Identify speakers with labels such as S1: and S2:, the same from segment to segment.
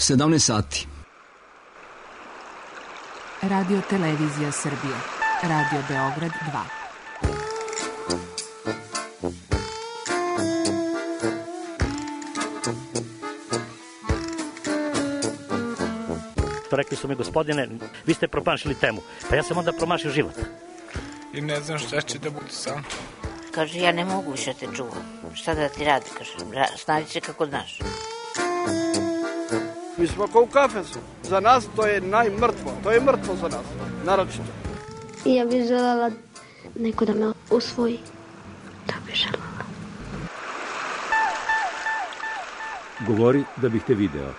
S1: 17 sati.
S2: Radio Televizija Srbije. Radio Beograd
S3: 2. Rekli su mi, gospodine, vi ste promašili temu. Pa ja sam onda promašio život.
S4: I ne znam šta će da bude sam.
S5: Kaže, ja ne mogu više te čuvam. Šta da ti radi, kaže, snađi se kako znaš.
S6: Mi smo kao u kafesu. Za nas to je najmrtvo. To je mrtvo za nas, naročito.
S7: Ja bih želela neko da me usvoji. To bih želela.
S8: Govori da bih te video.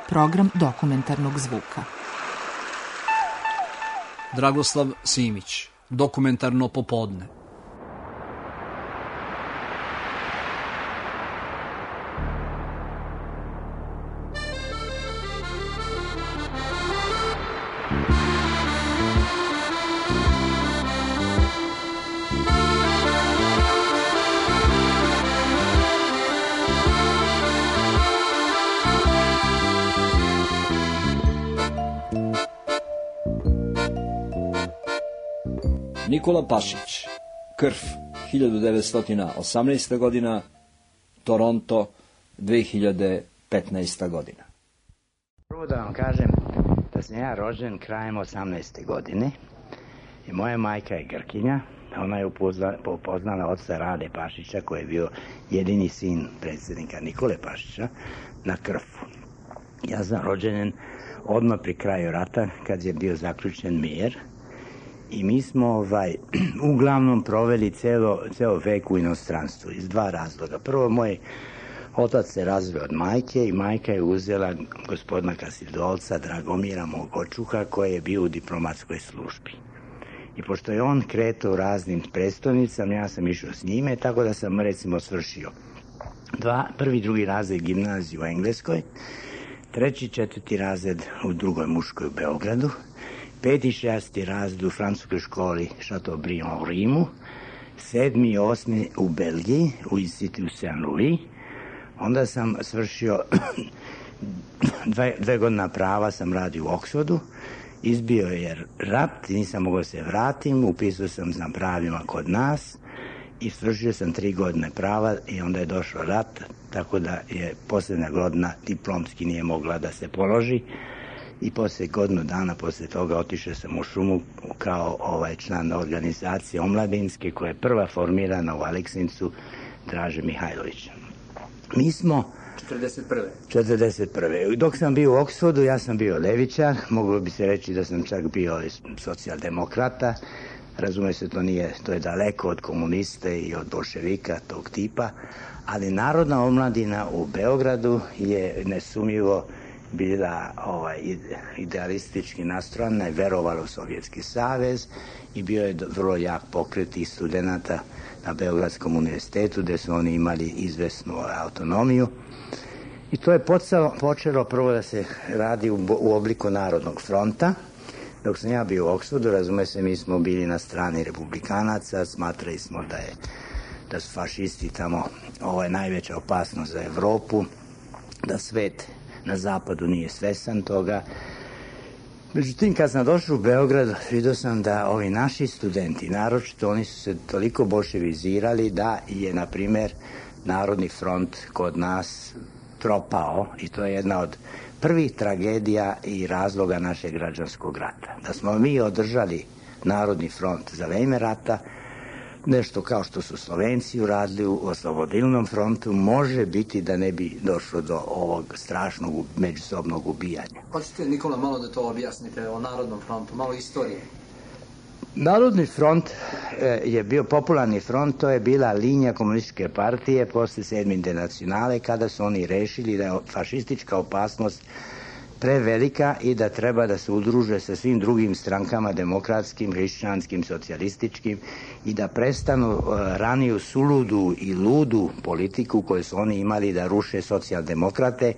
S2: Program dokumentarnog zvuka.
S1: Dragoslav Simić. Dokumentarno popodne.
S9: Nikola Pašić, Krf, 1918. godina, Toronto, 2015. godina.
S10: Prvo da vam kažem da sam ja rođen krajem 18. godine i moja majka je Grkinja. Ona je upoznala oca Rade Pašića, koji je bio jedini sin predsjednika Nikole Pašića, na Krfu. Ja sam rođen odmah pri kraju rata, kad je bio zaključen mir. I mi smo uglavnom proveli ceo vek u inostranstvu iz dva razloga. Prvo, moj otac se razveo od majke i majka je uzela gospodina Kasildolca, Dragomira, mog očuha, koji je bio u diplomatskoj službi. I pošto je on kretao u raznim prestolnicama, ja sam išao s njime, tako da sam recimo svršio prvi i drugi razred gimnaziju u Engleskoj, treći i četvrti razred u drugoj muškoj u Beogradu, 5. i 6. razred u francuskoj školi Chateaubriand u Rimu, 7. i 8. u Belgiji, u Institut Saint-Louis. Onda sam svršio 2 godina prava, sam radio u Oxfordu. Izbio je rat, nisam mogao se vratim, upisao sam na pravima kod nas i svršio sam 3 godine prava i onda je došao rat, tako da je posljednja godina diplomski nije mogla da se položi. I poslije godinu dana posle toga otišao sam u šumu kao član organizacije omladinske koja je prva formirana u Aleksincu, Draže Mihajlović. Mi smo 41. Dok sam bio u Oxfordu, ja sam bio levičar, moglo bi se reći da sam čak bio socijaldemokrata. Razume se, to je daleko od komuniste i od bolševika tog tipa, ali Narodna omladina u Beogradu je nesumnjivo bila idealistički nastrojena i verovala u Sovjetski savez i bio je vrlo jak pokret i studenata na Beogradskom univerzitetu gde su oni imali izvesnu autonomiju. I to je počelo prvo da se radi u obliku Narodnog fronta. Dok sam ja bio u Oxfordu, razume se, mi smo bili na strani republikanaca, smatrali smo da su fašisti tamo najveća opasnost za Evropu, da svet na zapadu nije svestan toga. Međutim, kad sam došao u Beograd, vidio sam da ovi naši studenti, naročito, oni su se toliko bolševizirali da je, na primjer, Narodni front kod nas propao i to je jedna od prvih tragedija i razloga našeg građanskog rata. Da smo mi održali Narodni front za vreme rata, nešto kao što su Slovenci uradili u oslobodilnom frontu, može biti da ne bi došlo do ovog strašnog međusobnog ubijanja.
S1: Hoćete, Nikola, malo da to objasnite o Narodnom frontu, malo istorije?
S10: Narodni front je bio popularni front, to je bila linija komunističke partije posle 7. internacionale, kada su oni rešili da je fašistička opasnost prevelika i da treba da se udruže sa svim drugim strankama, demokratskim, hrišćanskim, socijalističkim, i da prestanu raniju suludu i ludu politiku koju su oni imali da ruše socijaldemokrate,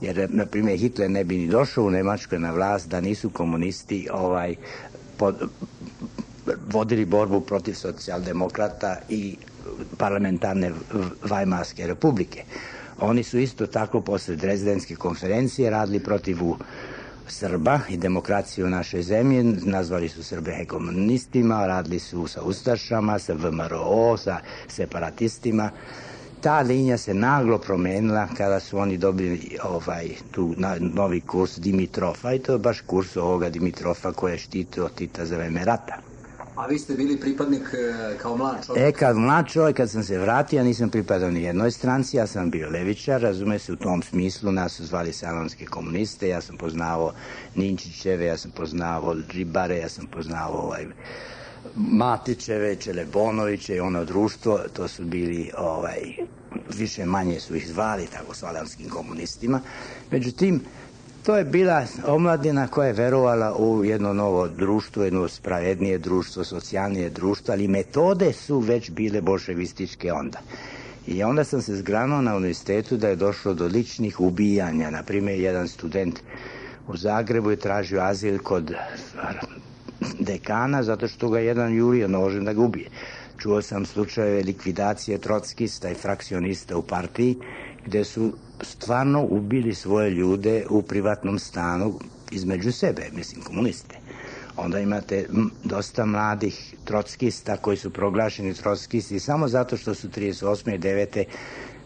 S10: jer, na primjer, Hitler ne bi ni došao u Nemačkoj na vlast da nisu komunisti vodili borbu protiv socijaldemokrata i parlamentarne Vajmarske republike. Oni su isto tako posle Drezdenske konferencije radili protiv Srba i demokracije u našoj zemlji, nazvali su Srbe hegemonistima, radili su sa ustašama, sa VMRO, sa separatistima. Ta linija se naglo promenila kada su oni dobili tu novi kurs Dimitrofa i to je baš kurs ovoga Dimitrofa koji je štitio Tita za vreme rata.
S1: A vi ste bili pripadnik kao mlad čovjek?
S10: Kao mlad čovjek, kad sam se vratio, ja nisam pripadao ni jednoj stranci, ja sam bio levičar, razume se u tom smislu, nas su zvali salonske komuniste, ja sam poznavao Ninčićeve, ja sam poznavao Ribare, ja sam poznavao Matićeve, Čelebonoviće i ono društvo, to su bili, više manje su ih zvali tako salonskim komunistima. Međutim, to je bila omladina koja je verovala u jedno novo društvo, jedno spravednije društvo, socijalnije društvo, ali metode su već bile bolševističke onda. I onda sam se zgranuo na univerzitetu da je došlo do ličnih ubijanja. Naprimjer, jedan student u Zagrebu je tražio azil kod dekana zato što ga jedan jurio nožem da ga ubije. Čuo sam slučajeve likvidacije trockista i frakcionista u partiji gde su stvarno ubili svoje ljude u privatnom stanu između sebe, mislim komuniste. Onda imate dosta mladih trockista koji su proglašeni trockisti samo zato što su 38. i 9.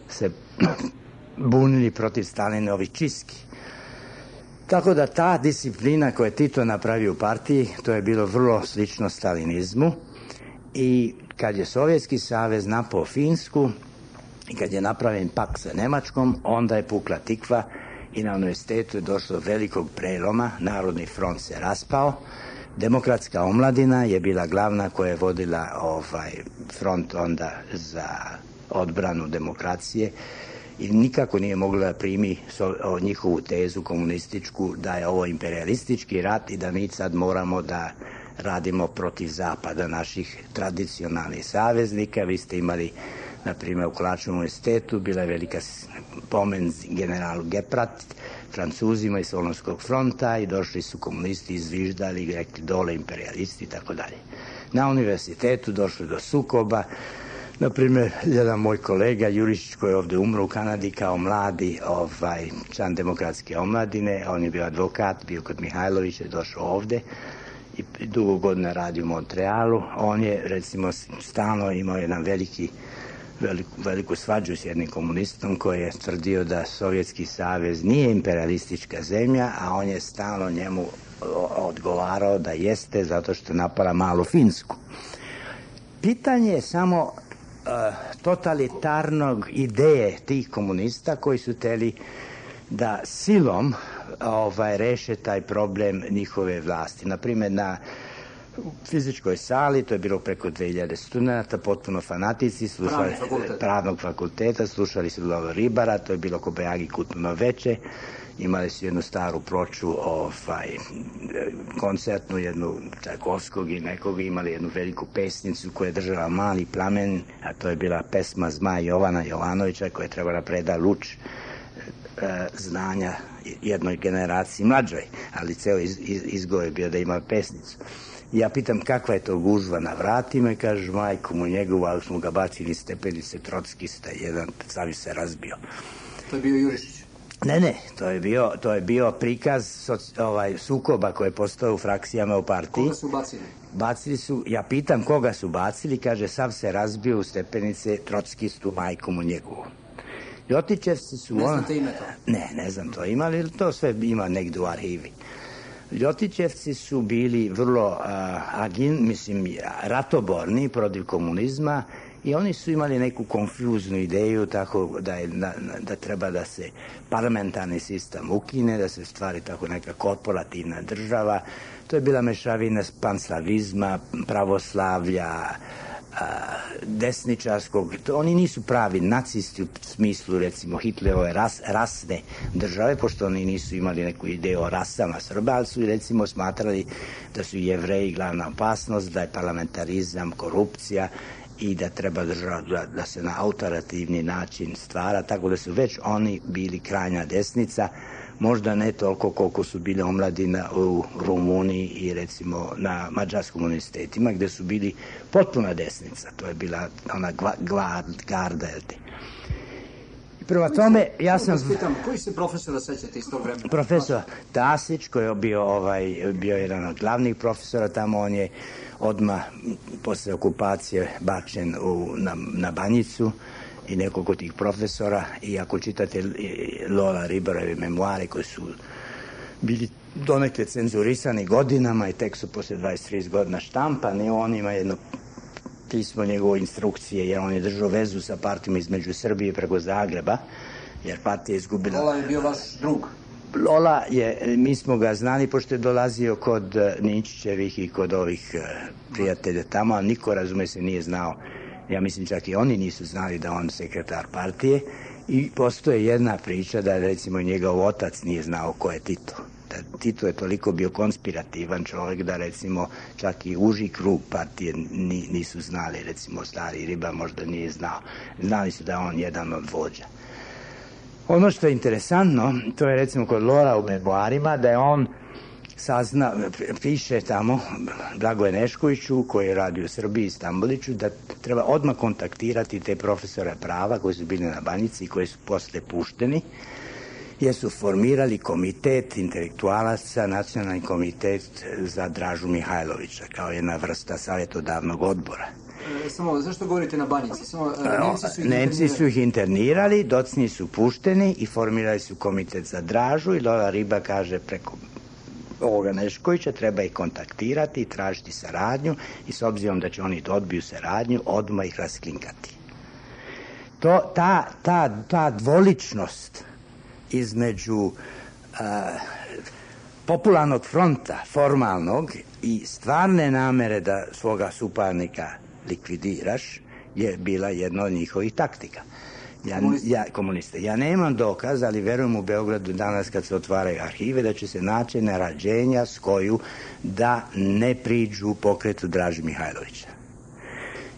S10: se bunili protiv Stalinovih čistki. Tako da ta disciplina koju je Tito napravio u partiji, to je bilo vrlo slično stalinizmu i kad je Sovjetski savez napao Finsku i kad je napravljen pakt sa Nemačkom, onda je pukla tikva i na univerzitetu je došlo do velikog preloma, Narodni front se raspao, demokratska omladina je bila glavna koja je vodila front onda za odbranu demokracije i nikako nije mogla da primi njihovu tezu komunističku da je ovo imperialistički rat i da mi sad moramo da radimo protiv zapada naših tradicionalnih saveznika. Vi ste imali, na primjer, u Kolačevom univerzitetu bila je velika pomen generalu Geprat, Francuzima iz Solunskog fronta i došli su komunisti, izviždali i rekli dole imperialisti i tako dalje. Na univerzitetu došlo do sukoba. Na primjer, jedan moj kolega Jurišić koji je ovde umro u Kanadi kao mladi član demokratske omladine, on je bio advokat, bio kod Mihajlovića, je došao ovde i dugo godina radi u Montrealu. On je, recimo, stalno imao jedan veliku svađu s jednim komunistom koji je tvrdio da Sovjetski savez nije imperialistička zemlja, a on je stalno njemu odgovarao da jeste zato što je napala malu Finsku. Pitanje je samo totalitarnog ideje tih komunista koji su hteli da silom reše taj problem njihove vlasti. Naprimjer, na fizičkoj sali, to je bilo preko 2000 studenta, potpuno fanatici, pravnog fakulteta, slušali su Lova Ribara, to je bilo Kobajagi kulturno veče, imali su jednu staru ploču koncertnu, jednu Čajkovskog i nekog, imali jednu veliku pesnicu koja je držala Mali plamen, a to je bila pesma Zmaj Jovana Jovanovića koja je trebala preda luč znanja jednoj generaciji mlađoj, ali ceo izgovor je bio da ima pesnicu. Ja pitam kakva je to gužva na vratima i kaže majku mu njegovu, ali smo ga bacili stepenice trockista, jedan sami se razbio.
S1: To je bio Jurišić?
S10: Ne, to je bio prikaz sukoba koji je postao u frakcijama u partiji.
S1: Koga su bacili?
S10: Bacili su, ja pitam koga su bacili, kaže sav se razbio u stepenice trockistu, majku mu njegovu. Ljotićevci su...
S1: Ne znate ime to?
S10: Ne znam to ima, ali to sve ima negdje u arhivi. Ljotićevci su bili vrlo ratoborni protiv komunizma i oni su imali neku konfuznu ideju tako da treba da se parlamentarni sistem ukine, da se stvari tako neka korporativna država. To je bila mešavina panslavizma, pravoslavlja, desničarskog, oni nisu pravi nacisti u smislu recimo Hitlerove rasne države, pošto oni nisu imali neku ideju o rasama Srba, ali su recimo smatrali da su Jevreji glavna opasnost, da je parlamentarizam, korupcija i da treba država da se na autoritativni način stvara, tako da su već oni bili krajnja desnica, možda ne toliko koliko su bile omladina u Rumuniji i recimo na mađarskom univerzitetima gde su bili potpuna desnica. To je bila ona garda. Prema tome, ja sam...
S1: Koji se profesora sećate iz tog vremena?
S10: Profesor Tasić, koji je bio jedan od glavnih profesora tamo, on je odmah posle okupacije bačen na Banjicu i nekoliko tih profesora. I ako čitate Lola Ribarove memoare koji su bili donekle cenzurisani godinama i tek su posle 23 godina štampani, on ima jedno pismo njegove instrukcije, jer on je držao vezu sa partijama između Srbije preko Zagreba, jer partija je izgubila...
S1: Lola je bio vaš drug?
S10: Lola je, mi smo ga znali pošto je dolazio kod Ninčićevih i kod ovih prijatelja tamo, a niko, razume se, nije znao. Ja mislim čak i oni nisu znali da on sekretar partije i postoje jedna priča da recimo njegov otac nije znao ko je Tito. Tito je toliko bio konspirativan čovjek da recimo čak i uži krug partije nisu znali, recimo stari Riba možda nije znao. Znali su da je on jedan od vođa. Ono što je interesantno, to je recimo kod Lora u memoarima, da je on piše tamo Blagoje Neškoviću, koji je radio u Srbiji i Stamboliću, da treba odmah kontaktirati te profesore prava koji su bili na Banjici i koji su posle pušteni, jer su formirali komitet intelektualaca, nacionalni komitet za Dražu Mihajlovića, kao jedna vrsta savjetodavnog odbora.
S1: Samo, zašto govorite na Banjici?
S10: Nemci su ih internirali, docniji su pušteni i formirali su komitet za Dražu i Lola Riba kaže preko ovoga Neškovića treba ih kontaktirati i tražiti saradnju i s obzirom da će oni da odbiju saradnju, odmah ih rasklinkati. Ta dvoličnost između popularnog fronta, formalnog, i stvarne namere da svoga suparnika likvidiraš je bila jedna od njihovih taktika. Komuniste. Ja nemam dokaz, ali verujem u Beogradu danas kad se otvaraju arhive da će se naći narađenja s koju da ne priđu pokretu Draže Mihajlovića.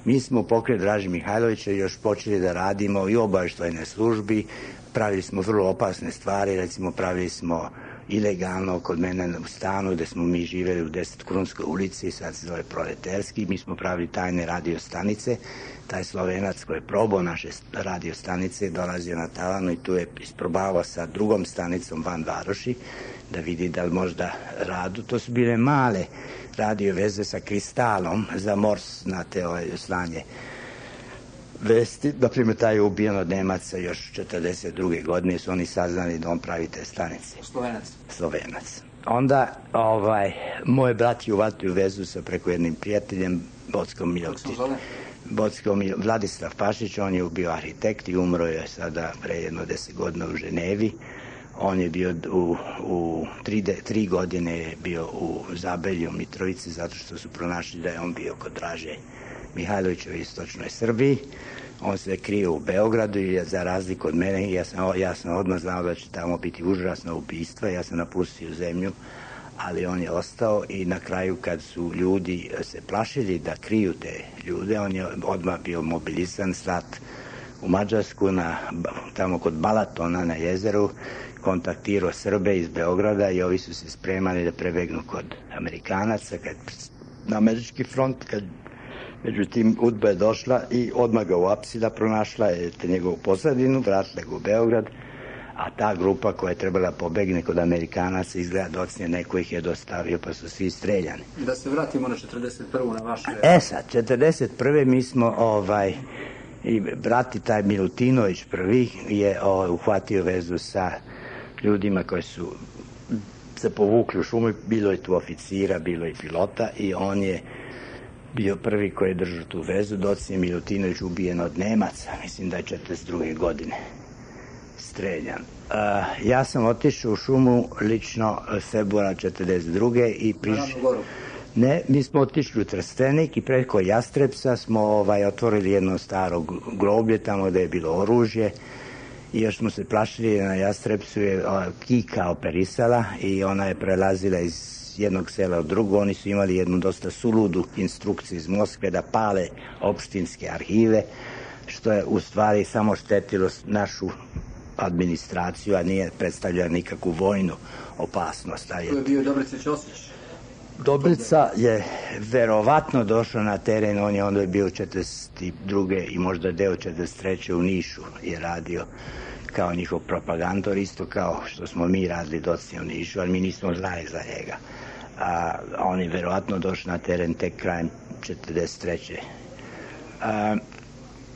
S10: Mi smo u pokret Draže Mihajlovića još počeli da radimo i u obaveštajnoj službi, pravili smo vrlo opasne stvari, recimo pravili smo ilegalno kod mene u stanu gde smo mi živeli u 10 Krunskoj ulici, sad se zove Proleterski, mi smo pravili tajne radio stanice. Taj Slovenac koji je probao naše radio stanice dolazio na tavanu i tu je isprobavao sa drugom stanicom van varoši da vidi da li možda radu. To su bile male radio veze sa kristalom za Mors, znate, slanje vesti. Naprimjer, taj je ubijen od Nemaca još 1942. godine, su oni saznali da on pravi te stanice. Slovenac. Onda, moj brat je uvatio vezu sa preko jednim prijateljem, Vladislav Pašić, on je bio arhitekt i umro je sada pre jedno 10 godina u Ženevi. On je bio u 3 godine je bio u Zabelju, Mitrovici, zato što su pronašli da je on bio kod Draže Mihajlovića u istočnoj Srbiji. On se krio u Beogradu i za razliku od mene, ja sam odmah znao da će tamo biti užasno ubistva, ja sam napustio zemlju, ali on je ostao i na kraju kad su ljudi se plašili da kriju te ljude, on je odmah bio mobilisan, slat u Mađarsku, tamo kod Balatona na jezeru, kontaktirao Srbe iz Beograda i ovi su se spremali da prebegnu kod Amerikanaca, na američki front, međutim UDBA je došla i odmah ga uapsila, pronašla je njegovu posladinu, vratila ga u Beograd, a ta grupa koja je trebala pobegne kod Amerikanaca izgleda docnije, neko ih je dostavio pa su svi streljani.
S1: Da se vratimo na 41. na vaše...
S10: Sad, 41. mi smo i brati taj Milutinović prvi je uhvatio vezu sa ljudima koji su se povukli u šumu, bilo je tu oficira, bilo je pilota i on je bio prvi koji je držao tu vezu, docnije Milutinović ubijen od Nemaca, mislim da je 42. godine streljan. Ja sam otišao u šumu lično februara 42. i Ne, mi smo otišli u Trstenik i preko Jastrepsa smo otvorili jedno staro groblje tamo gde je bilo oružje i još smo se plašili, na Jastrepsu je Kika operisala i ona je prelazila iz jednog sela od drugo. Oni su imali jednu dosta suludu instrukciju iz Moskve da pale opštinske arhive, što je u stvari samo štetilo našu administraciju, a nije predstavljala nikakvu vojnu opasnost.
S1: To je bio Dobrica Ćosić.
S10: Dobrica je verovatno došao na teren, on je onda bio 42. i možda deo 43. u Nišu je radio kao njihov propagandor, isto kao što smo mi radili docnije u Nišu, ali mi nismo znali za njega. A on je verovatno došao na teren tek krajem 1943.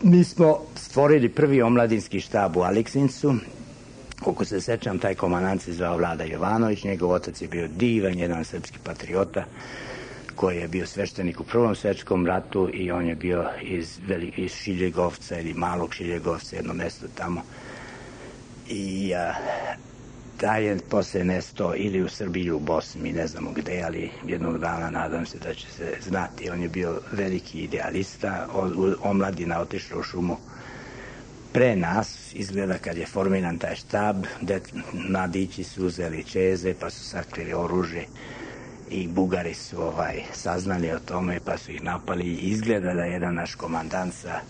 S10: Mi smo stvorili prvi omladinski štab u Aleksincu. Koliko se sećam, taj komandant se zvao Vlada Jovanović, njegov otac je bio divan, jedan srpski patriota, koji je bio sveštenik u Prvom svetskom ratu i on je bio iz Šiljegovca ili Malog Šiljegovca, jedno mesto tamo. I taj je posle nesto ili u Srbiji ili u Bosni, mi ne znamo gde, ali jednog dana nadam se da će se znati. On je bio veliki idealista, omladina otišla u šumu pre nas, izgleda kad je formiran taj štab, mladići su uzeli čeze pa su sakrili oružje i Bugari su saznali o tome pa su ih napali. Izgleda da je jedan naš komandant sa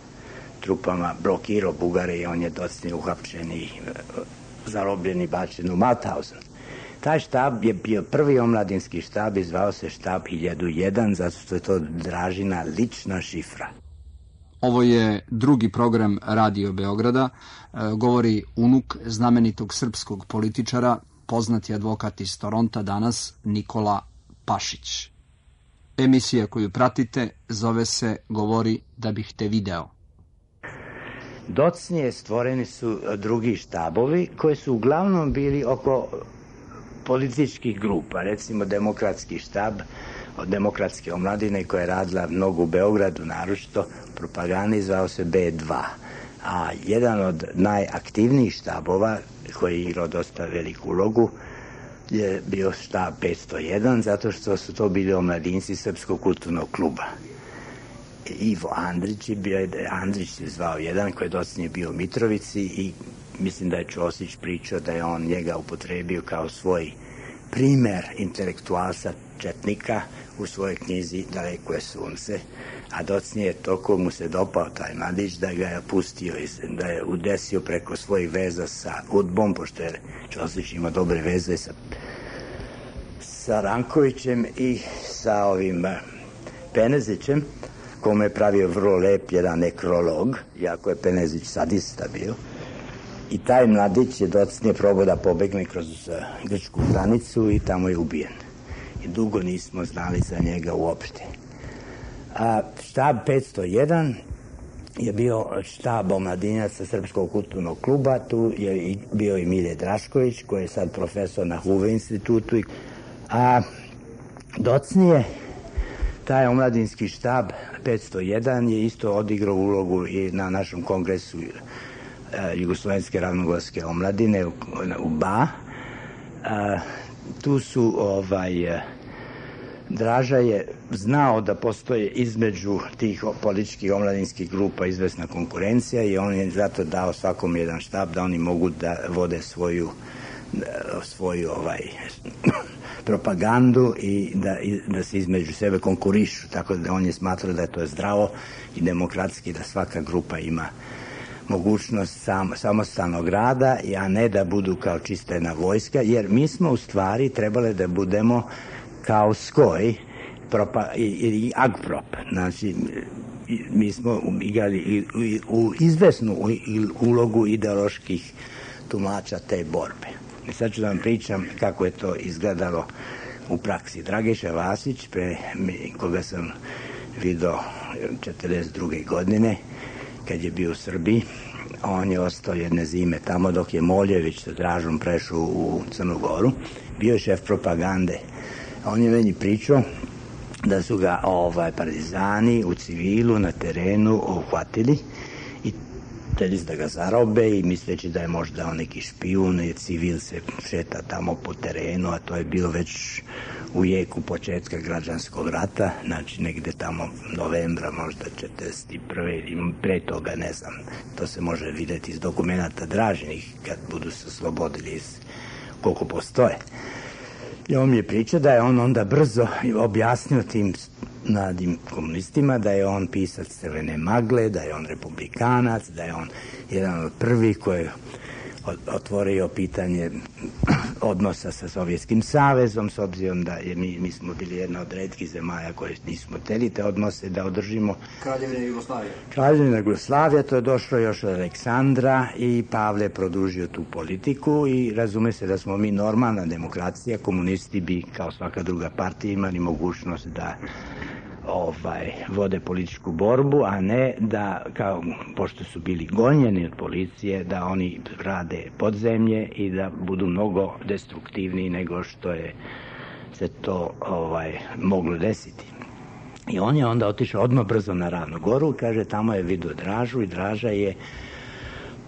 S10: trupama blokirao Bugare i on je docnije uhapšen i zarobljen i bačen u Mauthausen. Taj štab je bio prvi omladinski štab i zvao se štab 1001, zato što je to Dražina lična šifra.
S11: Ovo je drugi program Radio Beograda. Govori unuk znamenitog srpskog političara, poznati advokat iz Toronta danas, Nikola Pašić. Emisija koju pratite zove se Govori da bih te video.
S10: Docnije stvoreni su drugi štabovi koji su uglavnom bili oko političkih grupa, recimo demokratski štab od demokratske omladine koja je radila mnogo u Beogradu, naročito propagandi, zvao se B2. A jedan od najaktivnijih štabova koji je igrao dosta veliku ulogu je bio štab 501, zato što su to bili omladinci Srpskog kulturnog kluba. Ivo Andrić se zvao jedan koji je docnije bio u Mitrovici i mislim da je Ćosić pričao da je on njega upotrebio kao svoj primer intelektualca četnika u svojoj knjizi Daleko je sunce, a docnije toliko mu se dopao taj mladić da ga je pustio, da je udesio preko svojih veza sa UDBom, pošto je Ćosić imao dobre veze sa Rankovićem i sa ovim Penezićem, kome je pravio vrlo lep jedan nekrolog, iako je Penezić sadista bio. I taj mladić je docnije probao da pobegne kroz grčku granicu i tamo je ubijen. I dugo nismo znali za njega uopšte. A štab 501 je bio štab omladinaca Srpskog kulturnog kluba, tu je bio i Milje Drašković, koji je sad profesor na Huve institutu. A docnije taj omladinski štab 501 je isto odigrao ulogu i na našem kongresu Jugoslovenske ravnogorske omladine u BA. Tu su Draža je znao da postoje između tih političkih omladinskih grupa izvesna konkurencija i on je zato dao svakom jedan štab da oni mogu da vode svoju propagandu i da se između sebe konkurišu, tako da on je smatrao da je to zdravo i demokratski, da svaka grupa ima mogućnost samostalnog rada, a ne da budu kao čista jedna vojska, jer mi smo u stvari trebali da budemo kao SKOJ i AGPROP. Znači, mi smo igrali u izvesnu ulogu ideoloških tumača te borbe. I sad ću da vam pričam kako je to izgledalo u praksi. Dragiša Vasić, koga sam vidio 1942. godine, kad je bio u Srbiji, on je ostao jedne zime tamo dok je Moljević sa Dražom prešao u Crnu Goru. Bio je šef propagande. On je meni pričao da su ga partizani u civilu na terenu uhvatili i hteli da ga zarobe i misleći da je možda on neki špijun i civil se šeta tamo po terenu, a to je bilo već u jeku početka građanskog rata, znači negde tamo novembra možda 41. ili pre toga, ne znam. To se može videti iz dokumenta Dražinih kad budu se oslobodili koliko postoje. I on mi je pričao da je on onda brzo objasnio tim mladim komunistima da je on pisac Crvene magle, da je on republikanac, da je on jedan od prvih koji je otvorio pitanje odnosa sa Sovjetskim savezom, s obzirom da mi smo bili jedna od retkih zemalja koje nismo hteli te odnose da održimo.
S1: Kraljevina Jugoslavija.
S10: Kraljevina Jugoslavija, to je došlo još od Aleksandra i Pavle produžio tu politiku i razume se da smo mi normalna demokracija, komunisti bi kao svaka druga partija imali mogućnost da vode političku borbu, a ne da, kao, pošto su bili gonjeni od policije, da oni rade podzemlje i da budu mnogo destruktivniji nego što je se to moglo desiti. I on je onda otišao odmah brzo na Ravnu Goru, kaže, tamo je vidio Dražu i Draža je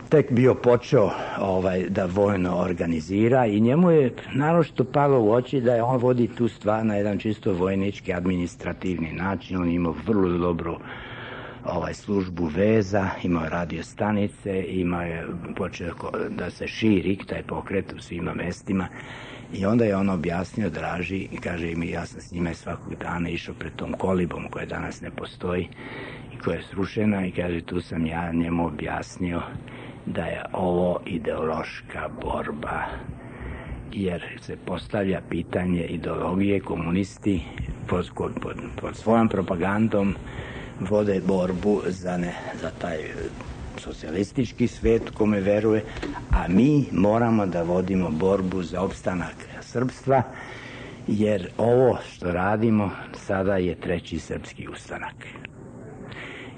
S10: tek bio počeo da vojno organizira i njemu je naročito palo u oči da je on vodi tu stvar na jedan čisto vojnički, administrativni način. On imao vrlo dobru službu veza, imao radio stanice, imao je počeo da se širi taj pokret u svima mestima i onda je on objasnio Draži i kaže mi, ja sam s njime svakog dana išao pred tom kolibom koja danas ne postoji i koja je srušena i kaže tu sam ja njemu objasnio da je ovo ideološka borba, jer se postavlja pitanje ideologije, komunisti pod svojom propagandom vode borbu za taj socijalistički svet kome veruje, a mi moramo da vodimo borbu za opstanak srpstva, jer ovo što radimo sada je treći srpski ustanak.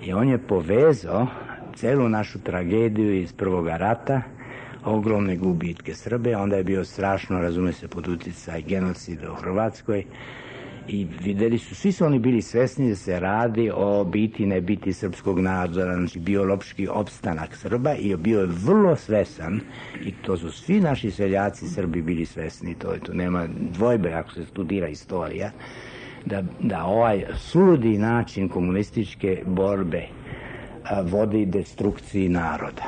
S10: I on je povezao celu našu tragediju iz Prvoga rata, ogromne gubitke Srbe, onda je bio strašno, razume se, pod uticaj genocida u Hrvatskoj i videli su, svi su oni bili svesni da se radi o biti ne biti srpskog naroda, znači biološki opstanak Srba i bio je vrlo svesan i to su svi naši seljaci Srbi bili svesni, to nema dvojbe ako se studira istorija, da ovaj suludi način komunističke borbe vodi destrukciji naroda.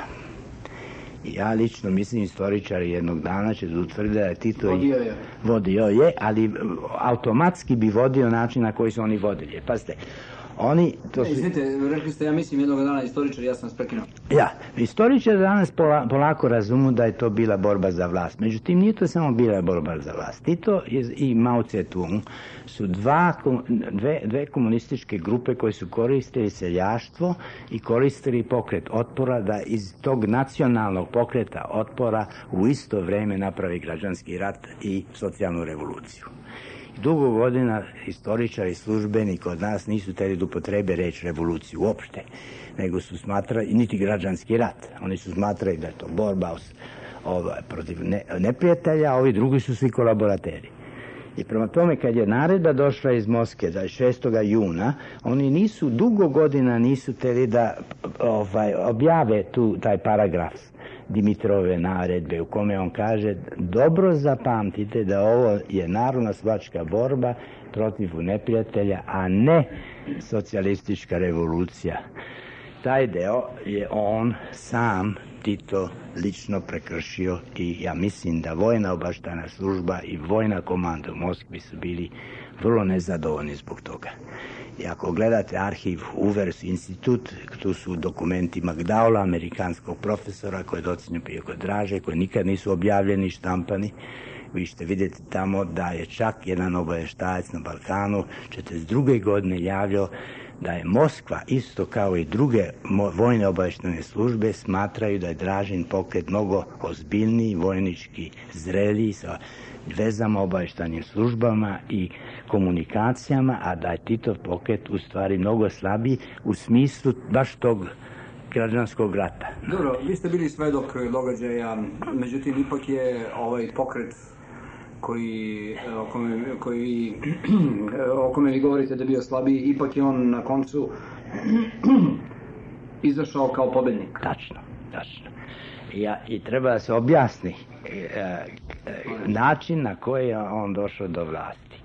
S10: Ja lično mislim, istoričari jednog dana će utvrditi da je Tito vodio je, ali automatski bi vodio način na koji su oni vodili. Pazite, oni...
S1: Izvinite, rekli ste, ja mislim jednog dana istoričari, ja sam vas prekinuo.
S10: Ja, istoričari danas polako razumu da je to bila borba za vlast. Međutim, nije to samo bila borba za vlast. Tito i Mao Tse-tung su dve komunističke grupe koje su koristili seljaštvo i koristili pokret otpora da iz tog nacionalnog pokreta otpora u isto vreme napravi građanski rat i socijalnu revoluciju. Dugo godina istoričari i službeni kod nas nisu htjeli da upotrebe reč revoluciju uopšte, nego su smatrali, niti građanski rat. Oni su smatrali da je to borba protiv neprijatelja, a ovi drugi su svi kolaborateri. I prema tome, kad je naredba došla iz Moskve 6. juna, oni dugo godina nisu htjeli da objave taj paragraf Dimitrove naredbe u kome on kaže dobro zapamtite da ovo je narodnooslobodilačka borba protiv neprijatelja, a ne socijalistička revolucija. Taj deo je on sam, Tito, lično prekršio i ja mislim da vojna obavještajna služba i vojna komanda u Moskvi su bili vrlo nezadovoljni zbog toga. I ako gledate arhiv Uvers institut, tu su dokumenti McDowella, amerikanskog profesora koji je docenio prije kod Draže, koji nikad nisu objavljeni, štampani. Vi ćete vidjeti tamo da je čak jedan obavještajac na Balkanu 1942. godine javljao da je Moskva, isto kao i druge vojne obavještajne službe, smatraju da je Dražin pokret mnogo ozbiljniji, vojnički zreliji, sa vezama, obavještajnim službama i komunikacijama, a da je Titov pokret u stvari mnogo slabiji u smislu baš tog građanskog rata.
S1: Dobro, vi ste bili svedok događaja, međutim ipak je ovaj pokret o kome vi govorite da je bio slabiji, ipak je on na koncu izašao kao pobednik.
S10: Tačno. I treba da se objasni način na koji je on došao do vlasti.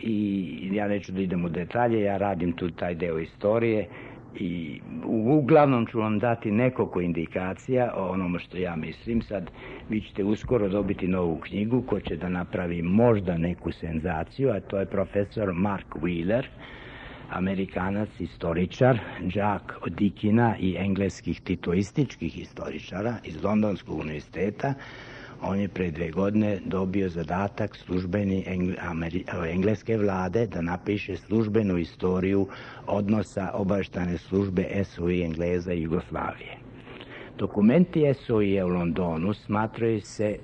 S10: I ja neću da idem u detalje, ja radim tu taj deo istorije i uglavnom ću vam dati nekoliko indikacija o onome što ja mislim. Sad vi ćete uskoro dobiti novu knjigu koja će da napravi možda neku senzaciju, a to je profesor Mark Wheeler, Amerikanac, istoričar, đak od Dikina i engleskih titoističkih historičara iz Londonskog univerziteta. On je pre 2 godine dobio zadatak službeni engleske vlade da napiše službenu istoriju odnosa obavještajne službe SOI Engleza i Jugoslavije. Dokumenti SOI u Londonu smatraju se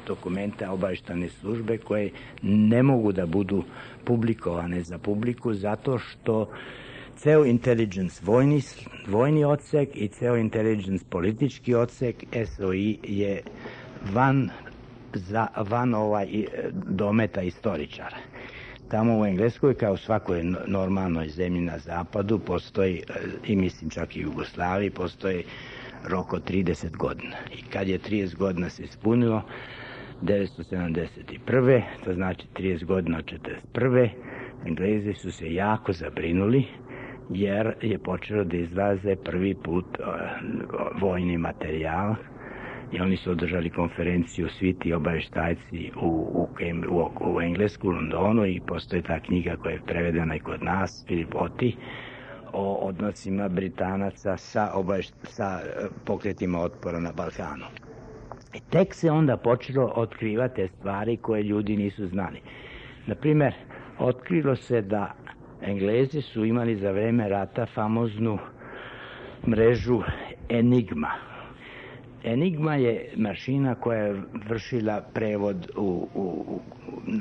S10: dokumenta obavještajne službe koje ne mogu da budu publikovane za publiku zato što ceo intelligence vojni odsek i ceo intelligence politički odsek SOI je van dometa istoričara. Tamo u Engleskoj, kao u svakoj normalnoj zemlji na zapadu, postoji, i mislim čak i u Jugoslaviji, postoji rok od 30 godina. I kad je 30 godina se ispunilo, 1971. to znači 30 godina od 1941. Englezi su se jako zabrinuli jer je počelo da izlaze prvi put vojni materijal i oni su održali konferenciju svi ti obavještajci u Englesku, u Londonu, i postoji ta knjiga koja je prevedena i kod nas, Filip Oti, o odnosima Britanaca sa pokretima otpora na Balkanu. I tek se onda počelo otkrivati te stvari koje ljudi nisu znali. Naprimer, otkrilo se da Englezi su imali za vreme rata famoznu mrežu Enigma. Enigma je mašina koja je vršila prevod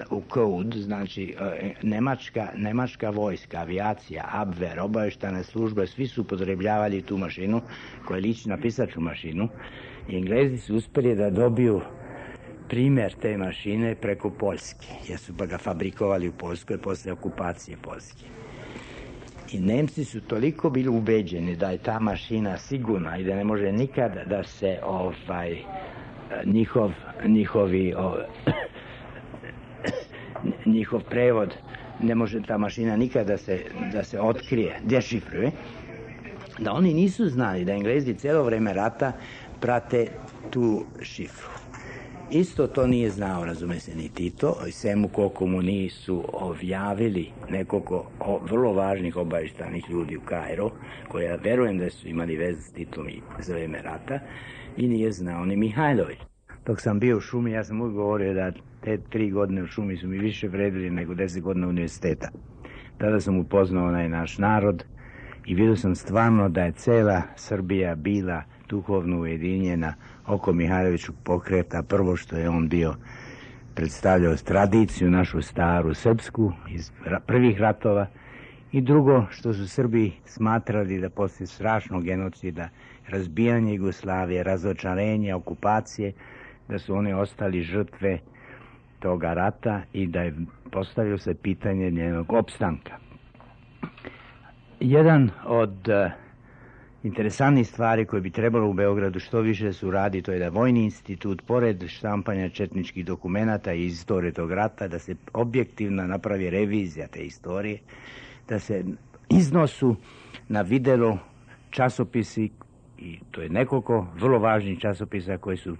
S10: u kod, znači nemačka vojska, avijacija, Abwehr, obavještajne službe, svi su upotrebljavali tu mašinu koja liči na pisaču mašinu. I Englezi su uspjeli da dobiju primjer te mašine preko Poljske, jer su pa ga fabrikovali u Poljskoj posle okupacije Poljske. I Nemci su toliko bili ubeđeni da je ta mašina sigurna i da ne može nikada da se njihov prevod, ne može ta mašina nikada da se otkrije, dešifruje, da oni nisu znali da Englezi cijelo vreme rata prate tu šifru. Isto to nije znao, razume se, ni Tito, i svemu koliko mu nisu objavili nekoliko vrlo važnih obavještajnih ljudi u Kairu, koja verujem da su imali veze s Titom i za vreme rata, i nije znao ni Mihajlović. Dok sam bio u šumi, ja sam uvijek govorio da te 3 godine u šumi su mi više vredili nego 10 godina univerziteta. Tada sam upoznao onaj naš narod i vidio sam stvarno da je cela Srbija bila duhovno ujedinjena oko Mihajlovićog pokreta. Prvo što je on bio predstavljao tradiciju našu staru srpsku iz prvih ratova, i drugo što su Srbi smatrali da poslije strašnog genocida, razbijanja Jugoslavije, razočarenja, okupacije, da su oni ostali žrtve toga rata i da je postavilo se pitanje njenog opstanka. Jedan od interesantnih stvari koje bi trebalo u Beogradu što više se uradi, to je da Vojni institut, pored štampanja četničkih dokumenata i istorije tog rata, da se objektivno napravi revizija te istorije, da se iznosu na videlo časopisi, i to je nekoliko vrlo važnih časopisa koji su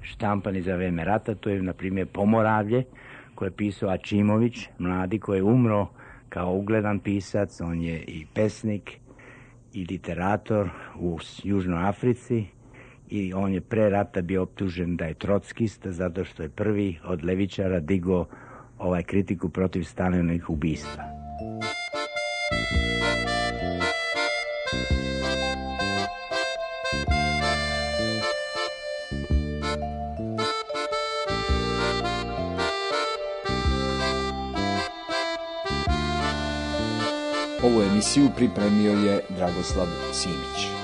S10: štampani za vreme rata. To je, na primjer, Pomoravlje, koje je pisao Ačimović, mladi, koji je umro kao ugledan pisac. On je i pesnik i literator u Južnoj Africi, i on je pre rata bio optužen da je trockista zato što je prvi od levičara digao kritiku protiv Stalinovih ubistva.
S9: Ovu emisiju pripremio je Dragoslav Simić.